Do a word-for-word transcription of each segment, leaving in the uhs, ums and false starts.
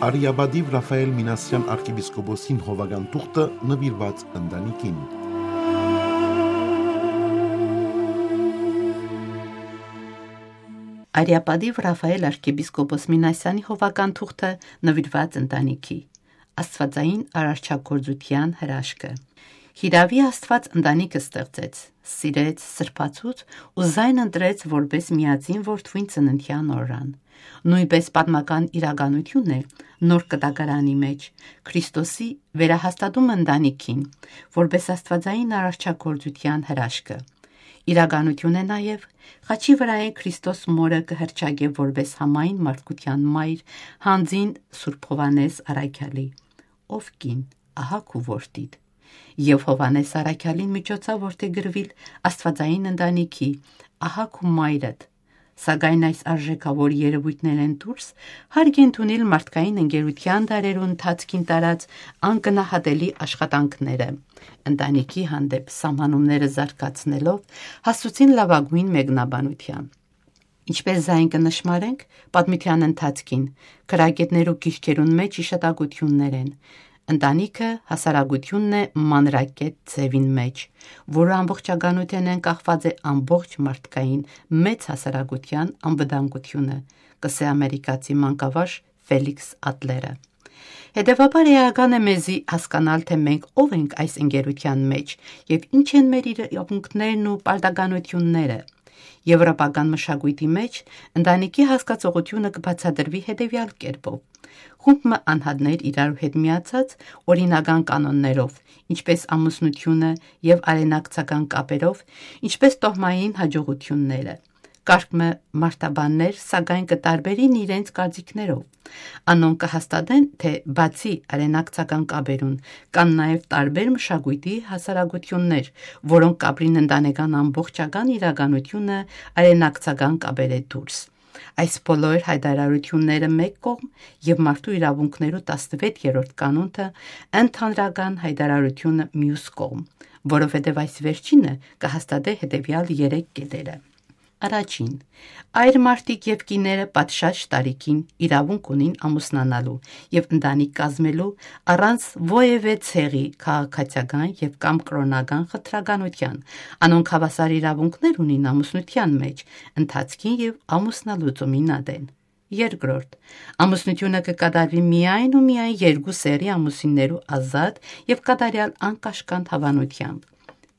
Արիապատիւ Ռաֆայէլ Մինասեան արքեպիսկոպոսին հովական թուղթը նուիրուած ընտանիքին։ Արիապատիւ Ռաֆայէլ արքեպիսկոպոս Մինասեանի հովական թուղթը նուիրուած ընտանիքի։ Աստուածային արարչագործութեան հրաշքը։ Հիրաւի Աստուած ընտանիքը ստեղծեց, սիրեց, սրբացուց ու զայն ընտրեց որպէս միածին որդւոյն ծննդեան օրրան։ Նոյնպէս պատմական իրականութիւն է Նոր Կտակարանի մէջ Քրիստոսի վերահաստատումը ընտանիքին, որպէս աստուածային արարչագործութեան հրաշքը։ Իրականութիւն է նաեւ խաչի վրայէն Քրիստոս մօրը կը հռչակէ որպէս համայն մարդկութեան մայր, յանձին Սուրբ Յովհաննէս Առաքեալի։ Ով կին, ահա քու որդիդ։ Եւ Յովհաննէս Առաքեալին միջոցաւ որդեգրուիլ աստուածային ընտանիքի, ահա քու մայրդ։ Սակայն այս արժեքաւոր երեւոյթներէն դուրս հարկ է ընդունիլ մարդկային ընկերութեան դարերու ընթացքին տարած անգնահատելի աշխատանքները, ընտանիքի հանդէպ սահմանումները զարգացնելով հասցուցին լաւագոյն մեկնաբանութեան։ Ինչպէս զայն կը նշմարենք պատմութեան ընթացքին, գրագէտներու գիրքերուն մէջ յիշատակութիւններ են։ Ընտանիքը հասարակութիւնն է մանրակետ ձեւին մէջ, որու ամբողջականութենէն կախված է ամբողջ մարդկային մեծ հասարակութեան անվտանգութիւնը, կ'ըսէ ամերիկացի մանկավարժ Ֆելիքս Ատլերը։ Հետեւաբար էական է մեզի հասկանալ, թէ մենք ով ենք այս ընկերութեան մէջ եւ ինչ են մեր իրաւունքներն ու պարտականութիւնները։ Եւրոպական մշակոյթի մէջ ընտանիքի հասկացողութիւնը կը բացատրուի հետեւեալ կերպով։ Խումբ մը անհատներ իրարու հետ միացած օրինական կանոններով, ինչպէս ամուսնութիւնը եւ արենակցական կապերով, ինչպէս տոհմային յաջողութիւնները։ Կարգ մը մարդաբաններ, սակայն կը տարբերին իրենց կարծիքներով։ Անոնք կը հաստատեն, թէ բացի արենակցական կապերուն, կան նաեւ տարբեր մշակոյթի հասարակութիւններ, որոնք կ'ապրին ընտանեկան ամբողջական իրականութիւնը արենակցական կապերէ դուրս։ Այս բոլոր յայտարարութիւնները մէկ կողմ եւ մարդու իրաւունքներու տասնեւերրորդ կանոնը ընդհանրական յայտարարութիւնը միւս կողմ, որովհետեւ այս վերջինը կը հաստատէ հետեւեալ երեք կետերը։ Առաջին, այր մարդիկ եւ կիները պատշաճ տարիքին իրաւունք ունին ամուսնանալու եւ ընտանիք կազմելու առանց որեւէ ցեղի, քաղաքացիական եւ կամ կրօնական խտրականութեան։ Անոնք հաւասար իրաւունքներ ունին ամուսնութեան մէջ, ընթացքին եւ ամուսնալուծումին ատեն։ Երկրորդ, ամուսնութիւնը կը կատարուի միայն ու միայն երկու սեռի ամուսիններու ազատ եւ կատարեալ անկաշկանդ հաւանութեամբ։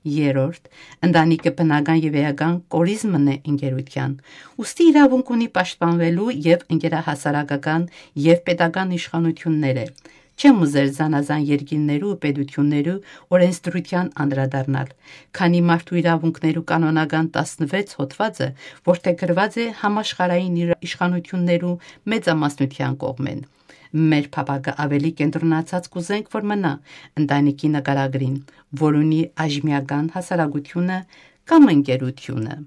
Երրորդ, ընտանիքը բնական եւ էական կորիզմն է ընկերութեան, ուստի իրաւունք ունի պաշտպանուելու եւ ընկերահասարակական եւ պետական իշխանութիւնները։ Չեմ ուզեր զանազան երկիրներու ու պետութիւններու օրենսդրութեան անդրադառնալ, քանի մարդու իրաւունքներու կանոնական տասնեւերրորդ հոդուածը որդեգրուած է համաշխարհային իր-, իշխանութիւններու մեծամասնութեան կողմէն։ Մեր փափակը աւելի կենտրոնացած կ'ուզենք, որ մնայ ընտանիքի նկարագրին, որ ունի այժմեական հասարակութիւնը կամ ընկերութիւնը։